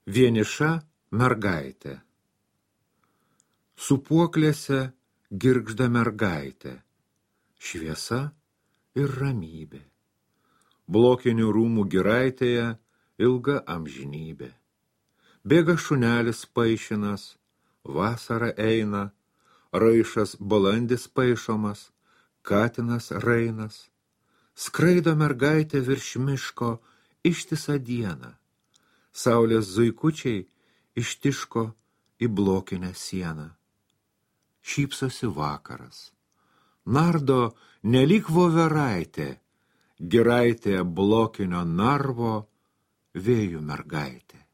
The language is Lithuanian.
Vieniša mergaitė. Sūpuoklėse girgžda mergaitė, šviesa ir ramybė. Blokinių rūmų giraitėje ilga amžinybė. Bėga šunelis paišinas, vasara eina, raišas balandis paišomas, katinas rainas. Skraido mergaitė virš miško ištisą dieną. Saulės zuikučiai ištiško į blokinę sieną. Šypsosi vakaras. Nardo nelyg voveraitė, giraitė blokinio narvo vėjų mergaitė.